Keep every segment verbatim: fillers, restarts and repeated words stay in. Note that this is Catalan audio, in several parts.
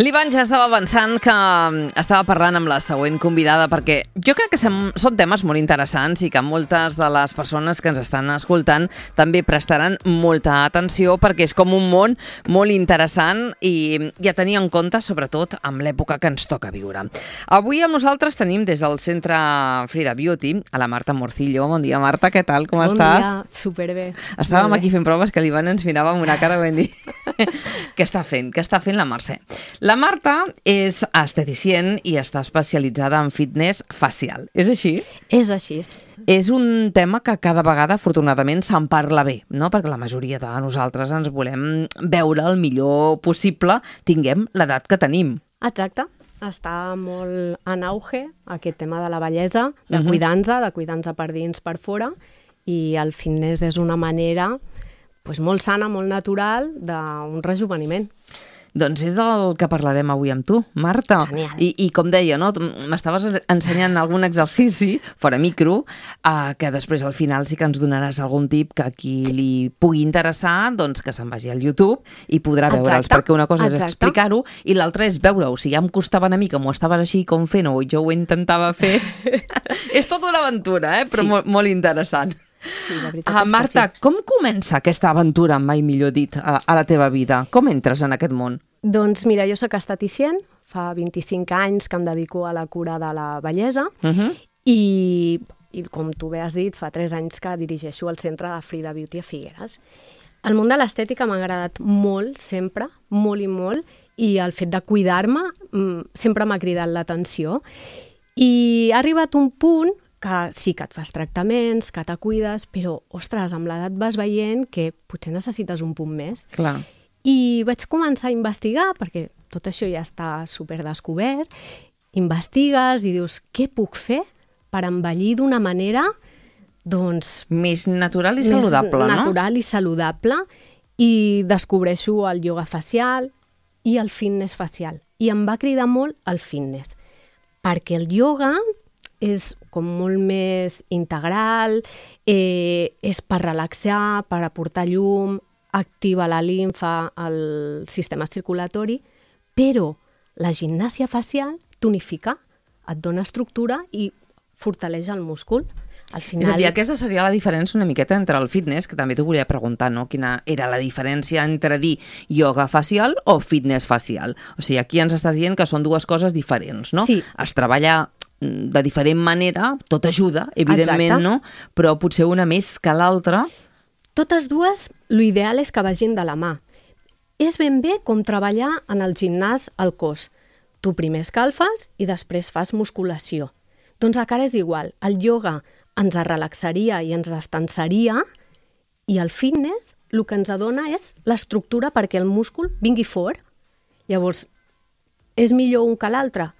L'Ivan ja estava avançant que estava parlant amb la següent convidada perquè jo crec que són temes molt interessants i que moltes de les persones que ens estan escoltant també prestaran molta atenció perquè és com un món molt interessant i, i a tenir en compte, sobretot amb l'època que ens toca viure. Avui amb nosaltres tenim des del Centre Frida Beauty a la Marta Morcillo. Bon dia, Marta, què tal? Com bon estàs? Bon dia, superbé. Estàvem aquí fent proves que l'Ivan ens mirava amb una cara ben dir què està fent, què està fent la Mercè. La Marta és esteticient i està especialitzada en fitness facial. És així? És així. És un tema que cada vegada, afortunadament, se'n parla bé, no? Perquè la majoria de nosaltres ens volem veure el millor possible, tinguem l'edat que tenim. Exacte. Està molt en auge aquest tema de la bellesa, de Uh-huh. cuidar-nos, de cuidar-nos per dins, per fora, i el fitness és una manera pues, molt sana, molt natural d'un rejuveniment. Doncs és del que parlarem avui amb tu, Marta. Genial. I, i com deia, no? M'estaves ensenyant algun exercici, fora micro, eh, que després al final sí que ens donaràs algun tip que a qui li pugui interessar, doncs que se'n vagi al YouTube i podrà veure'ls, Exacte. perquè una cosa és Exacte. explicar-ho i l'altra és veure-ho. Si ja em costava una mica, m'ho estaves així com fent-ho i jo ho intentava fer, és tota una aventura, eh? Però Sí. molt, molt interessant. Sí, la veritat Ah, és Marta, que sí. com comença aquesta aventura, mai millor dit, a, a la teva vida? Com entres en aquest món? Doncs mira, jo soc esteticient, fa vint-i-cinc anys que em dedico a la cura de la bellesa Uh-huh. i, i com tu bé has dit, fa tres anys que dirigeixo el centre de Frida Beauty a Figueres. El món de l'estètica m'ha agradat molt, sempre, molt i molt, i el fet de cuidar-me mm, sempre m'ha cridat l'atenció. I ha arribat un punt que sí que et fas tractaments, que te cuides, però, ostres, amb l'edat vas veient que potser necessites un punt més. Clar. I vaig començar a investigar, perquè tot això ja està superdescobert, investigues i dius, què puc fer per envellir d'una manera, doncs, Més natural i saludable, més no? natural i saludable, i descobreixo el ioga facial i el fitness facial. I em va cridar molt el fitness, perquè el ioga és com molt més integral, eh, és per relaxar, per aportar llum, activa la limfa, el sistema circulatori, però la gimnàsia facial tonifica, et dona estructura i fortaleix el múscul. Al final... És a dir, aquesta seria la diferència una miqueta entre el fitness, que també t'ho volia preguntar, no? Quina era la diferència entre dir ioga facial o fitness facial? O sigui, aquí ens estàs dient que són dues coses diferents, no? Sí. Es treballa de diferent manera, tot ajuda, evidentment, Exacte. no? Però potser una més que l'altra... Totes dues, l'ideal és que vagin de la mà. És ben bé com treballar en el gimnàs al cos. Tu primer escalfes i després fas musculació. Doncs a cara és igual. El ioga ens relaxaria i ens estensaria i el fitness el que ens dona és l'estructura perquè el múscul vingui fort. Llavors, és millor un que l'altre?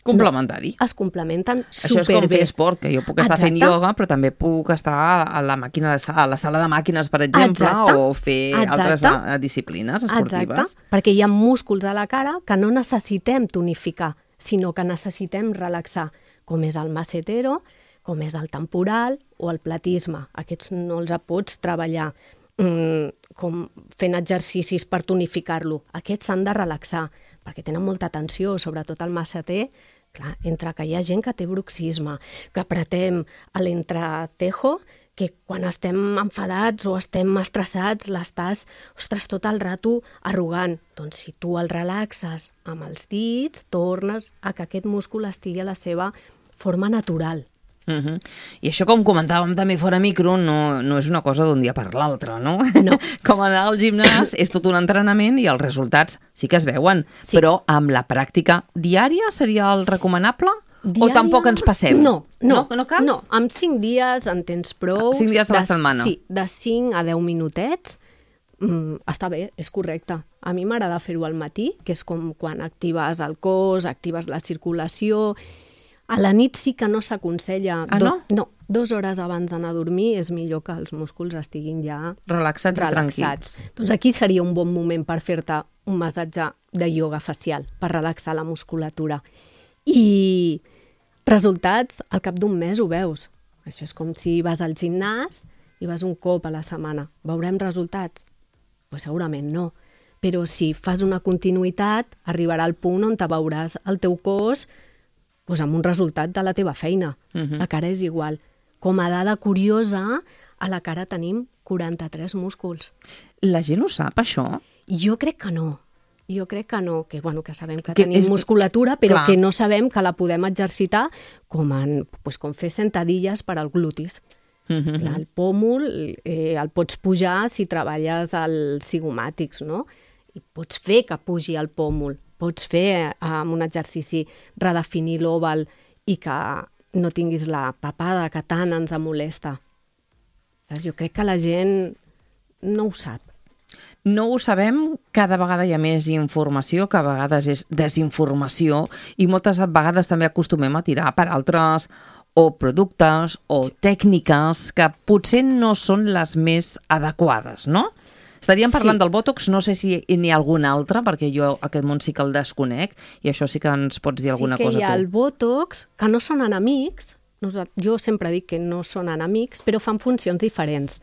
Complementari. Es complementen Això és com superbé. fer esport, que jo puc estar Exacte. fent ioga, però també puc estar a la màquina de sala, a la sala de màquines, per exemple, Exacte. o fer Exacte. altres eh, disciplines esportives. Exacte, perquè hi ha músculs a la cara que no necessitem tonificar, sinó que necessitem relaxar, com és el macetero, com és el temporal o el platisme. Aquests no els pots treballar mm, com fent exercicis per tonificar-lo. Aquests s'han de relaxar, perquè tenen molta tensió, sobretot el maceter. Clar, entre que hi ha gent que té bruxisme, que apretem a l'entrecejo, que quan estem enfadats o estem estressats l'estàs, ostres, tot el rato arrugant. Doncs si tu el relaxes amb els dits, tornes a que aquest múscul estigui a la seva forma natural. Uh -huh. I això, com comentàvem també fora micro, no, no és una cosa d'un dia per l'altre, no? No. Com anar al gimnàs és tot un entrenament i els resultats sí que es veuen, Sí. però amb la pràctica diària seria el recomanable? Diària... O tampoc ens passem? No, no, no, no cal? no. Amb cinc dies en tens prou. Cinc dies a la De- setmana. Sí, de cinc a deu minutets. Mm, està bé, és correcte. A mi m'agrada fer-ho al matí, que és com quan actives el cos, actives la circulació. A la nit sí que no s'aconsella. Ah, no? No, dues hores abans d'anar a dormir és millor que els músculs estiguin ja Relaxats, i tranquils. relaxats. Doncs aquí seria un bon moment per fer-te un massatge de ioga facial, per relaxar la musculatura. I resultats, al cap d'un mes ho veus. Això és com si vas al gimnàs i vas un cop a la setmana. Veurem resultats? Pues segurament no. però si fas una continuïtat, arribarà al punt on te veuràs el teu cos doncs, amb un resultat de la teva feina. Uh-huh. La cara és igual. Com a dada curiosa, a la cara tenim quaranta-tres músculs. La gent ho sap, això? Jo crec que no. Jo crec que no, que, bueno, que sabem que, que tenim és... musculatura, però Clar. que no sabem que la podem exercitar com, en, pues, com fer sentadilles per al glutis. Mm-hmm. Clar, el pòmul eh, el pots pujar si treballes als zigomàtics, no? I pots fer que pugi el pòmul, pots fer eh, amb un exercici redefinir l'òval i que no tinguis la papada que tant ens molesta. Saps? Jo crec que la gent no ho sap. No ho sabem, cada vegada hi ha més informació, que a vegades és desinformació i moltes vegades també acostumem a tirar per altres o productes o tècniques que potser no són les més adequades, no? Estaríem parlant sí. del Botox, no sé si n'hi ha algun altre, perquè jo aquest món sí que el desconec i això sí que ens pots dir alguna cosa tu. Sí que hi ha el Botox, que no són enemics, jo sempre dic que no són enemics, però fan funcions diferents.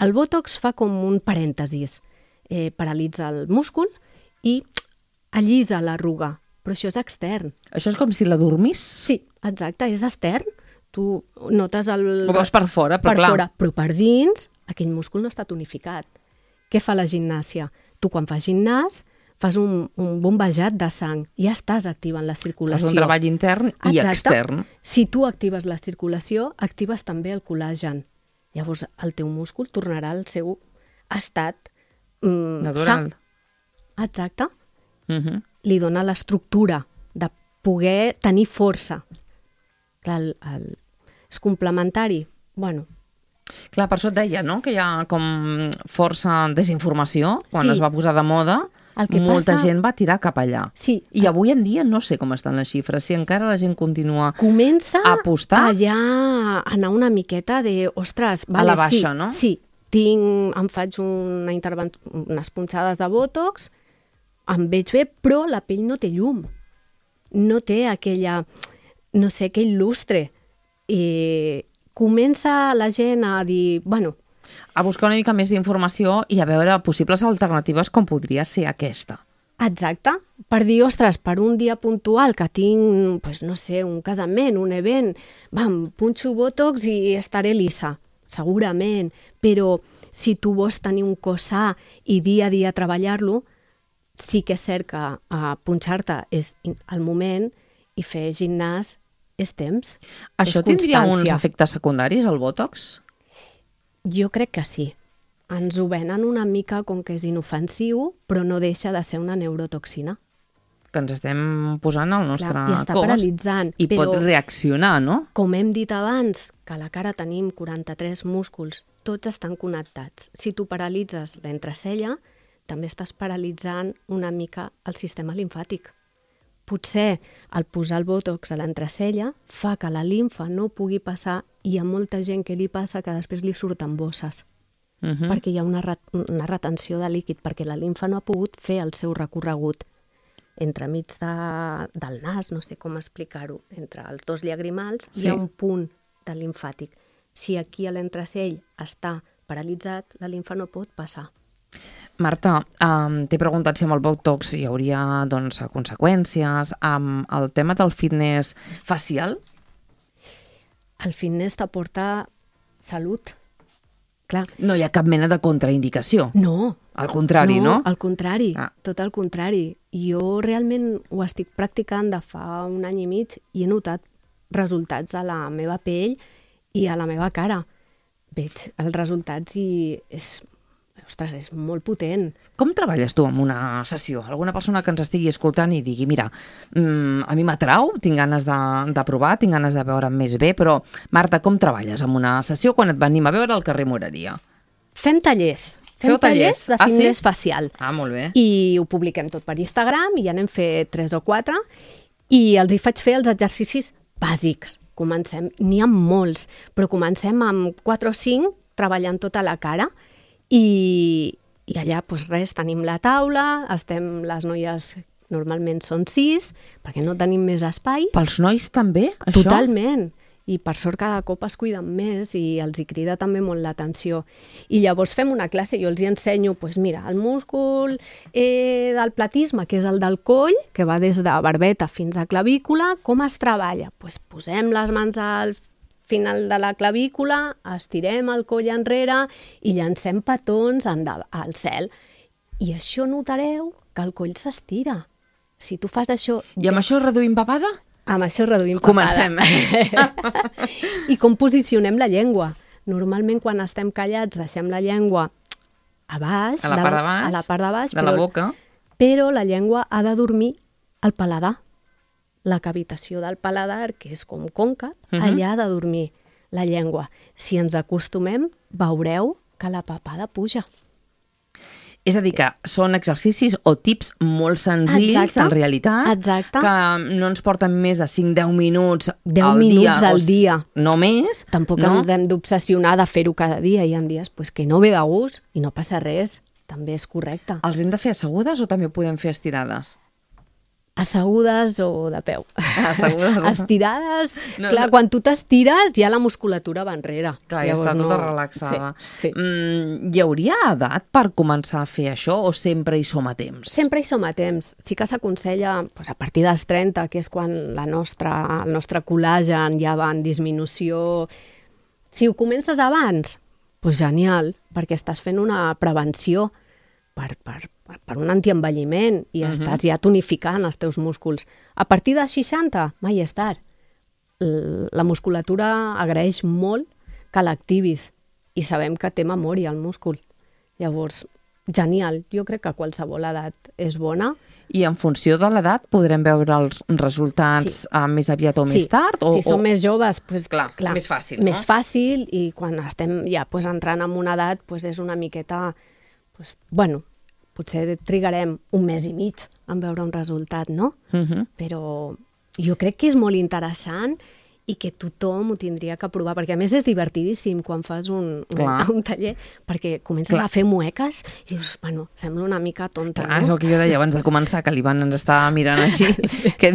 El Botox fa com un parèntesis. Eh, paralitza el múscul i allisa l'arruga, però això és extern. Això és com si la dormís? Sí, exacte, és extern. Tu notes el... Ho veus per fora, però per clar. Fora, però per dins aquell múscul no està tonificat. Què fa la gimnàsia? Tu quan fas gimnàs fas un, un bombejat de sang i ja estàs activant la circulació. És un treball intern i exacte. Extern. Si tu actives la circulació, actives també el col·làgen. Llavors el teu múscul tornarà al seu estat Mm, natural. Sa. Exacte. Uh-huh. Li dona l'estructura de poder tenir força. Clar, el, el, és complementari. Bueno. Clar, per això et deia, no?, que hi ha com força desinformació quan sí. es va posar de moda. Molta passa... gent va tirar cap allà. Sí. I avui en dia no sé com estan les xifres, si encara la gent continua Comença a apostar. allà a anar una miqueta de, ostres, vale, a la baixa, sí, no? Sí. Tinc, em faig una interven... unes punxades de Botox, em veig bé, però la pell no té llum. No té aquella, no sé, aquell lustre. I comença la gent a dir, bueno... A buscar una mica més d'informació i a veure possibles alternatives com podria ser aquesta. Exacte. Per dir, ostres, per un dia puntual que tinc, pues, no sé, un casament, un event, vam, punxo Botox i estaré lisa. Segurament, però si tu vols tenir un cos sa i dia a dia treballar-lo, sí que és cert que uh, punxar-te és el moment i fer gimnàs és temps. Això és tindria uns efectes secundaris, el Botox? Jo crec que sí. Ens ho venen una mica com que és inofensiu, però no deixa de ser una neurotoxina. Que ens estem posant al nostre Clar, i està cos paralitzant, i però, pot reaccionar, no? Com hem dit abans, que a la cara tenim quaranta-tres músculs, tots estan connectats. Si tu paralitzes l'entrecella, també estàs paralitzant una mica el sistema limfàtic. Potser el posar el Botox a l'entrecella fa que la limfa no pugui passar i hi ha molta gent que li passa que després li surten bosses. Uh-huh. Perquè hi ha una, ret una retenció de líquid, perquè la limfa no ha pogut fer el seu recorregut entremig de, del nas, no sé com explicar-ho, entre els dos llagrimals, sí. Hi ha un punt de limfàtic. Si aquí a l'entrecell està paralitzat, la limfa no pot passar. Marta, um, t'he preguntat si amb el Botox hi hauria doncs, conseqüències. Amb el tema del fitness facial? El fitness t'aporta salut. Clar. No hi ha cap mena de contraindicació. No. Al contrari, no? No, al contrari, ah. tot al contrari. Jo realment ho estic practicant de fa un any i mig i he notat resultats a la meva pell i a la meva cara. Veig els resultats i és, ostres, és molt potent. Com treballes tu en una sessió? Alguna persona que ens estigui escoltant i digui, mira, mmm, a mi m'atrau, tinc ganes de, de provar, tinc ganes de veure'm més bé, però Marta, com treballes en una sessió quan et venim a veure al carrer Moreria? Fem tallers. Fem Feu tallers, tallers de fitness ah, sí? facial. Ah, molt bé. I ho publiquem tot per Instagram i ja n'hem fet tres o quatre i els hi faig fer els exercicis bàsics. Comencem, n'hi ha molts, però comencem amb quatre o cinc treballant tota la cara i, i allà, doncs res, tenim la taula, estem les noies, normalment són sis, perquè no tenim més espai. Pels nois també, això? Totalment. i per sort cada cop es cuiden més i els hi crida també molt l'atenció. I llavors fem una classe i jo els hi ensenyo, doncs mira, el múscul eh, del platisme, que és el del coll, que va des de barbeta fins a clavícula, com es treballa? Doncs posem les mans al final de la clavícula, estirem el coll enrere i llancem petons al cel. I això notareu que el coll s'estira. Si tu fas això... I amb això reduïm papada? Amb això reduïm papada. Comencem. I com posicionem la llengua? Normalment quan estem callats deixem la llengua a baix, a la part de baix, a la part de, baix, de però, la boca, però la llengua ha de dormir al paladar. La cavitació del paladar, que és com còncava, uh-huh. allà ha de dormir la llengua. Si ens acostumem, veureu que la papada puja. És a dir, que són exercicis o tips molt senzills, exacte, en realitat, exacte. que no ens porten més de cinc a deu minuts deu al minuts dia. al dia. No més. Tampoc no? ens hem d'obsessionar de fer-ho cada dia. Hi ha dies pues, que no ve de gust i no passa res. També és correcte. Els hem de fer assegudes o també podem fer estirades? Assegudes o de peu. Assegudes. Estirades, no, clar, no. Quan tu t'estires ja la musculatura va enrere. Clar, ja està tota no... relaxada. Sí, sí. Mm, hi hauria edat per començar a fer això o sempre hi som a temps? Sempre hi som a temps. Sí que s'aconsella pues, a partir dels trenta, que és quan la nostra, el nostre col·làgen ja va en disminució. Si ho comences abans, pues genial, perquè estàs fent una prevenció per, per, per un antienvelliment i uh-huh. estàs ja tonificant els teus músculs. A partir de seixanta, mai és tard. La musculatura agraeix molt que l'activis i sabem que té memòria el múscul. Llavors, genial. Jo crec que qualsevol edat és bona. I en funció de l'edat podrem veure els resultats sí. més aviat o sí. més tard? O, si som o... més joves, pues, clar, clar, més fàcil. No? Més fàcil i quan estem ja pues, entrant en una edat pues, és una miqueta... Pues, bueno, potser trigarem un mes i mig en veure un resultat, no? Uh-huh. Però jo crec que és molt interessant i que tothom ho tindria que provar, perquè a més és divertidíssim quan fas un, un, un taller, perquè comences Clar. a fer mueques i dius, bueno, sembla una mica tonta, Clar, no? És el que jo deia abans de començar, que l'Ivan ens estava mirant així. Sí. Que...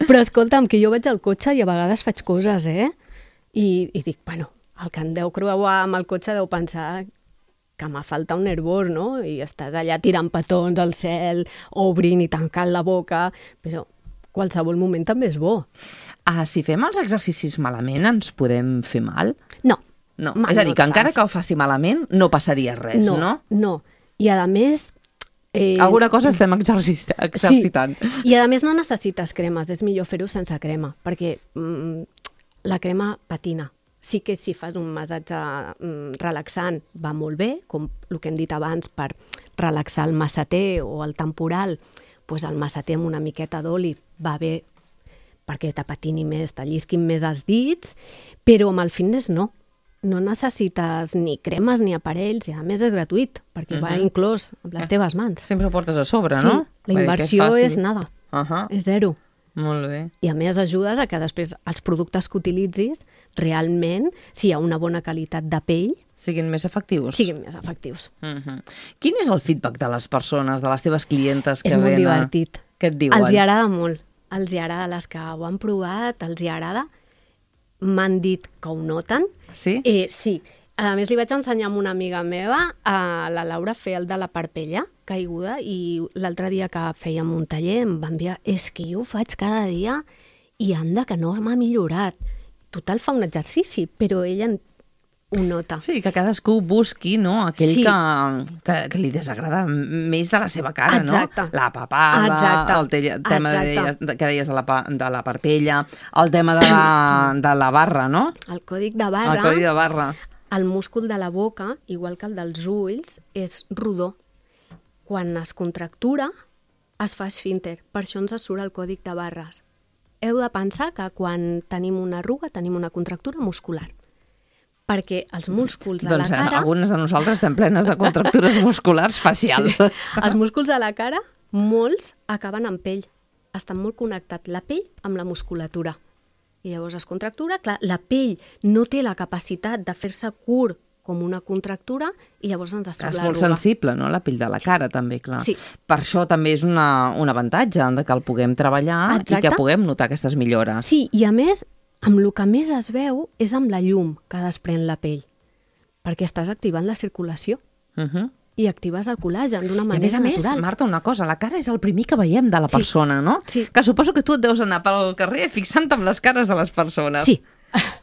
Però escolta'm, que jo vaig al cotxe i a vegades faig coses, eh? I, i dic, bueno, el que em deu creuar amb el cotxe deu pensar que m'ha faltat un nervós, no? I estàs allà tirant petons al cel, obrint i tancant la boca, però qualsevol moment també és bo. Ah, si fem els exercicis malament, ens podem fer mal? No. No. És a dir, que encara que ho faci malament, no passaria res, no? No, no. I a més... Eh... Alguna cosa estem exercitant. Sí. I a més no necessites cremes, és millor fer-ho sense crema, perquè mm, la crema patina. Sí que si fas un massatge mm, relaxant va molt bé, com el que hem dit abans, per relaxar el masseter o el temporal, doncs el masseter amb una miqueta d'oli va bé perquè te patini més, te llisquin més els dits, però amb el fitness no. No necessites ni cremes ni aparells, i a més és gratuït, perquè uh-huh. va inclòs amb les teves mans. Sempre ho portes a sobre, sí, no? Sí, la inversió és, és nada, uh-huh. és zero. Molt bé. I a més ajudes a que després els productes que utilitzis realment, si hi ha una bona qualitat de pell, siguin més efectius. Siguin més efectius. Uh-huh. Quin és el feedback de les persones, de les teves clientes que és venen? És molt divertit. Què et diuen? Els hi agrada molt. Els hi agrada, les que ho han provat, els hi agrada. M'han dit que ho noten. Sí? Eh, sí. A més, li vaig ensenyar a una amiga meva, a la Laura, a fer el de la parpella caiguda, i l'altre dia que fèiem un taller em va enviar, és que jo ho faig cada dia i anda que no m'ha millorat. Total, fa un exercici, però ella ho nota. Sí, que cadascú busqui, no?, aquell sí. que, que, que li desagrada més de la seva cara, Exacte. no? La papada, Exacte. el te- tema de, que deies de la, de la parpella, el tema de la, de la barra, no? El còdic de barra. El còdic de barra. El múscul de la boca, igual que el dels ulls, és rodó. Quan es contractura, es fa esfínter. Per això ens surt el còdic de barres. Heu de pensar que quan tenim una arruga tenim una contractura muscular. Perquè els músculs de doncs, la cara... algunes de nosaltres estem plenes de contractures musculars facials. Sí. Els músculs de la cara, molts acaben en pell. Estan molt connectats la pell amb la musculatura. I llavors es contractura, clar, la pell no té la capacitat de fer-se curt com una contractura i llavors ens es troba És l'arruga. molt sensible, no?, la pell de la cara, també, clar. Sí. Per això també és una, un avantatge de que el puguem treballar. Exacte. I que puguem notar aquestes millores. Sí, i a més amb el que més es veu és amb la llum que desprèn la pell, perquè estàs activant la circulació. Uh -huh. I actives el col·làgen d'una manera natural. I a més natural. a més, Marta, una cosa, la cara és el primer que veiem de la sí. persona, no? Sí. Que suposo que tu et deus anar pel carrer fixant-te amb les cares de les persones. Sí.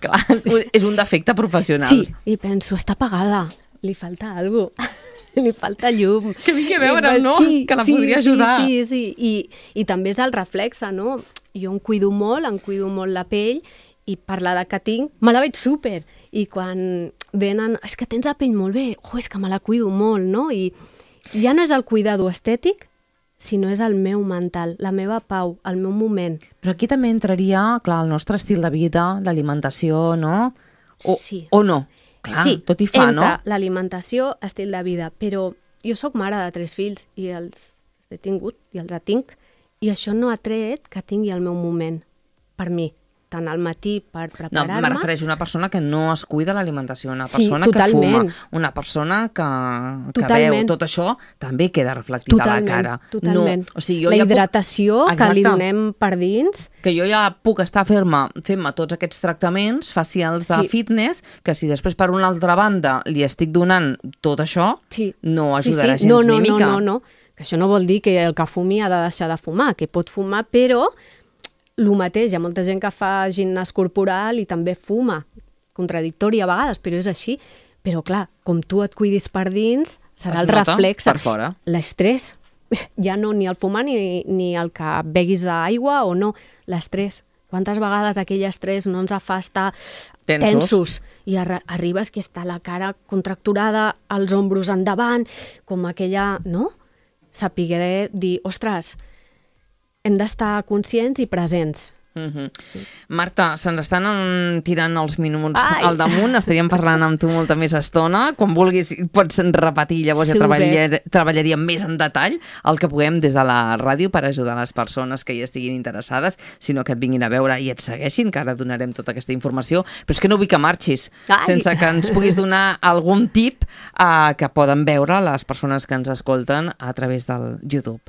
Clar, sí. És un defecte professional. Sí, i penso, està apagada, li falta alguna cosa, li falta llum. Que vingui a veure'm, no? Sí, que la sí, podria ajudar. Sí, sí, sí. I, i també és el reflexe, no? Jo em cuido molt, em cuido molt la pell, i per l'edat que tinc, me la veig súper. I quan venen, és que tens la pell molt bé, oh, és que me la cuido molt, no? I ja no és el cuidado estètic, sinó és el meu mental, la meva pau, el meu moment. Però aquí també entraria, clar, el nostre estil de vida, l'alimentació, no? O, sí. O no? Clar, sí, tot hi fa, entra no? l'alimentació, estil de vida, però jo sóc mare de tres fills i els he tingut i els tinc, i això no ha tret que tingui el meu moment per mi, tant al matí per preparar-me... No, me refereixo a una persona que no es cuida l'alimentació, una Sí, persona que totalment. fuma, una persona que, que Totalment. veu tot això, també queda reflectit Totalment, a la cara. totalment. No, o sigui, jo la ja hidratació puc... que li Exacte. donem per dins... Que jo ja puc estar fent-me fent tots aquests tractaments facials de Sí. fitness, que si després per una altra banda li estic donant tot això, Sí. no sí, ajudarà sí. gens no, no, ni mica. No, no, no, que això no vol dir que el que fumi ha de deixar de fumar, que pot fumar, però el mateix, hi ha molta gent que fa gimnàs corporal i també fuma, contradictori a vegades, però és així. Però clar, com tu et cuidis per dins, serà Es el nota reflex. per fora. L'estrès, ja no ni el fumar ni, ni el que beguis aigua o no, l'estrès. Quantes vegades aquell estrès no ens fa estar Tensos. tensos i arri arribes que està la cara contracturada, els ombros endavant, com aquella, no? Sapiguer dir, ostres, hem d'estar conscients i presents. Mm-hmm. Marta, se'ns estan en- tirant els minuts Ai! al damunt, estaríem parlant amb tu molta més estona, quan vulguis pots repetir, llavors ja Super. treballar, treballaríem més en detall el que puguem des de la ràdio per ajudar les persones que hi estiguin interessades, sinó que et vinguin a veure i et segueixin, que ara donarem tota aquesta informació, però és que no vull que marxis Ai! sense que ens puguis donar algun tip uh, que poden veure les persones que ens escolten a través del YouTube.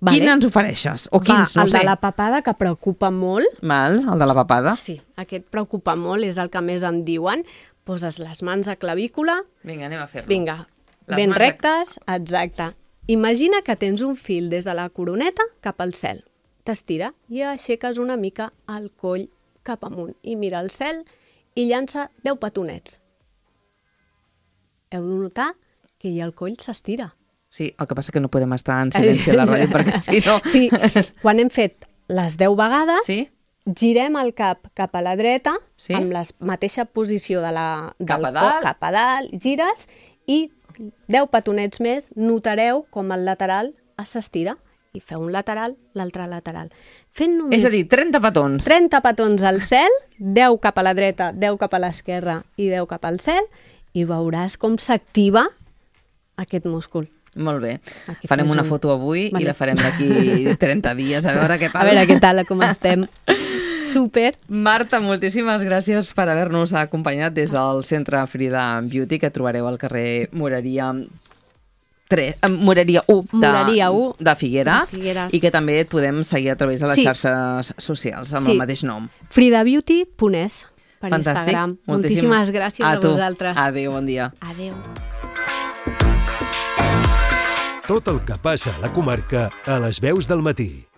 Vale. Quin ens ofereixes? O Va, quins? No el sé. de la papada, que preocupa molt. Val, el de la papada? Sí, aquest preocupa molt, és el que més em diuen. Poses les mans a clavícula, Vinga, anem a fer-lo. vinga, Les ben mans a- rectes, exacte. Imagina que tens un fil des de la coroneta cap al cel. T'estira i aixeques una mica el coll cap amunt i mira al cel i llança deu petonets. Heu de notar que ja el coll s'estira. Sí, el que passa que no podem estar en silenci a la ràdio perquè si no... Sí, quan hem fet les deu vegades, Sí? girem el cap cap a la dreta, Sí? amb la mateixa posició de la, del Cap a cor, dalt. cap a dalt, gires i deu petonets més, notareu com el lateral s'estira i feu un lateral, l'altre lateral. Fent només És a dir, trenta petons. trenta petons al cel, deu cap a la dreta, deu cap a l'esquerra i deu cap al cel, i veuràs com s'activa aquest múscul. Molt bé. Aquí Farem fes una un- foto avui Vale. i la farem d'aquí trenta dies, a veure què tal. A veure què tal, com estem. Súper. Marta, moltíssimes gràcies per haver-nos acompanyat des del Centre Frida Beauty, que trobareu al carrer Moreria tres, eh, Moreria u de, Moreria u de Figueres, de Figueres. i que també et podem seguir a través de les Sí. xarxes socials amb Sí. el mateix nom. fridabeauty punt es per Fantàstic. Instagram. Moltíssim- Moltíssimes gràcies a, a tu. vosaltres. Adéu, bon dia. Adéu. Tot el que passa a la comarca a les veus del matí.